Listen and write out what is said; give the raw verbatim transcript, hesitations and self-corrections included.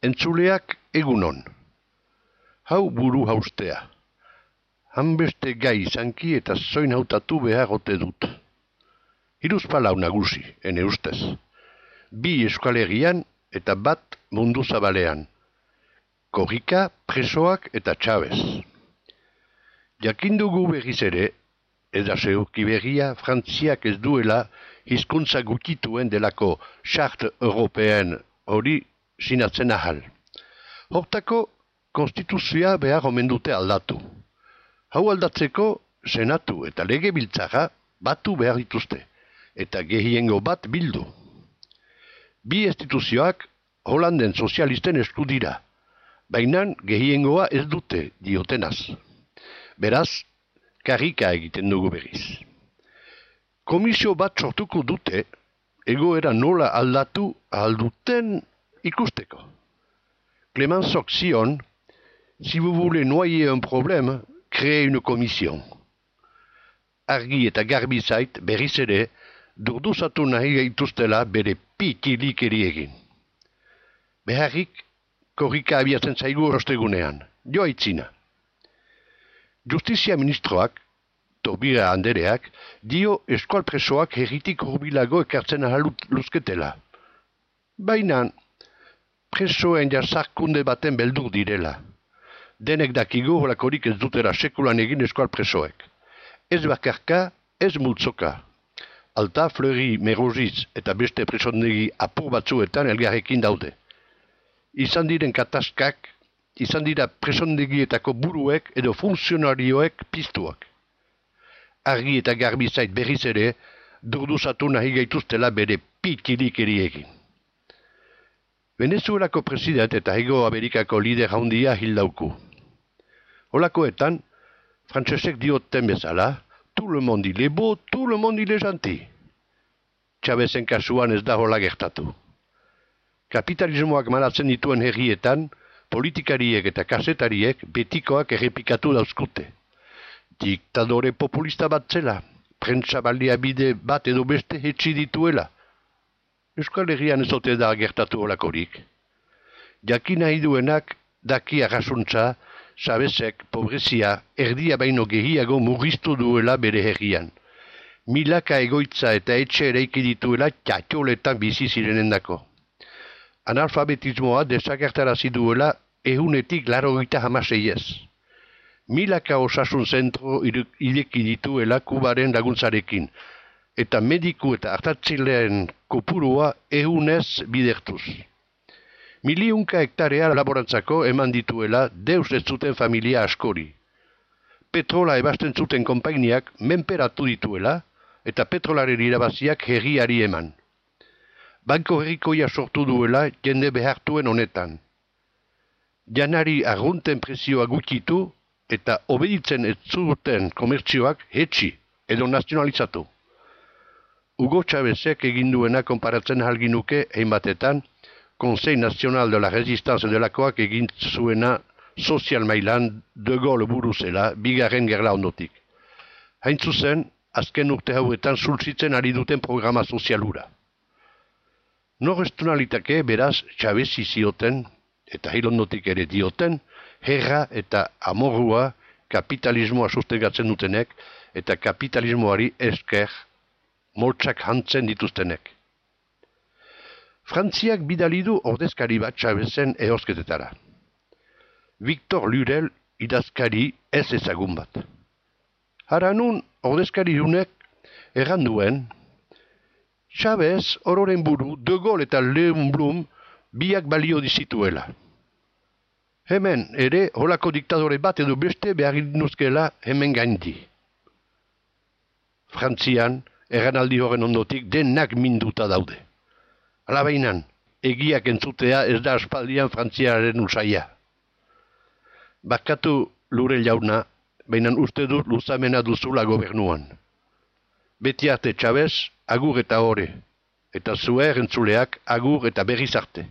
Entzuleak egunon. Hau buru haustea. Hanbeste gai izanki eta zoin hautatu behar ote dut. Hiruz palau nagusi, ene ustez. Bi Euskal eta bat mundu zabalean. Korrika, presoak eta Chavez. Jakindugu berriz ere, eda zeuki berria, Frantziak ez duela hizkuntza gutituen delako Charte Europeen hori sinatzen ahal. Hortako, konstituzioa behar omen dute aldatu. Hau aldatzeko, senatu eta legebiltzarra batu behar dituzte, eta gehiengo bat bildu. Bi instituzioak Holanden sozialisten esku dira, baina gehiengoa ez dute diotenaz. Beraz, karrika egiten dugu berriz. Komisio bat sortuko dute, egoera nola aldatu alduten ikusteko. Clemenceok zion, si vous voulez noyer un problème, créez une commission. Argi eta garbi zait berriz ere, durduzatu nahi gaituztela bere pikilik eri egin. Beharrik, korrika abiatzen zaigu ostegunean, jo aitzina. Justizia ministroak, Tobira andereak, dio eskual presoak herritik hurbilago ekartzen ahal luzketela. Baina, presoen jasarkunde baten beldur direla. Denek dakigu holakorik ez dutera sekulan egin eskual presoek. Ez bakarka, ez multzoka. Alta, Fleury, Meroziz eta beste presondegi apur batzuetan elgarrekin daude. Izan diren kataskak, izan dira presondegietako buruek edo funtzionarioek piztuak. Argi eta garbi zait berriz ere, durduzatu nahi gaituztela bere pikilik eri egin. Venezuelako president eta Hego Amerikako lider handia hildauku. Holakoetan, frantsesek dioten bezala, tout le monde il est beau, tout le monde il est gentil. Chavezen kasuan ez da hola gertatu. Kapitalismoak manatzen dituen herrietan, politikariek eta kazetariek betikoak errepikatu dauzkute. Diktadore populista bat zela, prentsa baliabide bat edo beste hetsi dituela. Euskal Herrian ez ote da gertatu holakorik. Jakin nahi duenak daki arrasuntza, Chavezek, pobrezia, erdia baino gehiago murriztu duela bere herrian. Milaka egoitza eta etxe eraiki dituela txatxoletan bizi zirenendako. Analfabetismoa desagertarazi duela ehunetik larogeita hamaseiez. Milaka osasun zentro ireki dituela Kubaren laguntzarekin, eta mediku eta hartatzileen kopurua ehunez bidertuz. Miliunka hektarea laborantzako eman dituela deus ez zuten familia askori. Petrola ebasten zuten konpainiak menperatu dituela eta petrolaren irabaziak herriari eman. Banko herrikoia sortu duela jende behartuen honetan. Janari arrunten presioa gutxitu eta obeditzen ez zuten komertzioak hetsi edo nazionalizatu. Hugo Chavezek egin duena konparatzen halginuke hainbatetan, Conseil National de la Resistance delakoak egin zuena sozial mailan De Gaulle buruzela bigarren gerla ondotik. Hain zuzen, azken urte hauetan zultzitzen ari duten programa sozialura. Norrestunalitake beraz Chavezi zioten, eta hilondotik ere dioten, herra eta amorrua kapitalismoa sustegatzen dutenek eta kapitalismoari esker moltsak hantzen dituztenek. Frantziak bidali du ordezkari bat Chavezen ehozketetara. Victor Lurel idazkari ez ezagun bat. Haranun ordezkari hunek erranduen, Chavez ororen buru De Gaulle eta Leon Blum biak balio dizituela. Hemen ere holako diktadore bat edo beste behar nuzkela hemen gaindi. Frantzian, erranaldi horren ondotik denak minduta daude. Alabainan, egiak entzutea ez da aspaldian Frantziaren usaia. Bakatu Lurel jauna, baina uste dut luzamena duzula gobernuan. Beti arte Chavez, agur eta ore, eta zuer entzuleak agur eta berriz arte.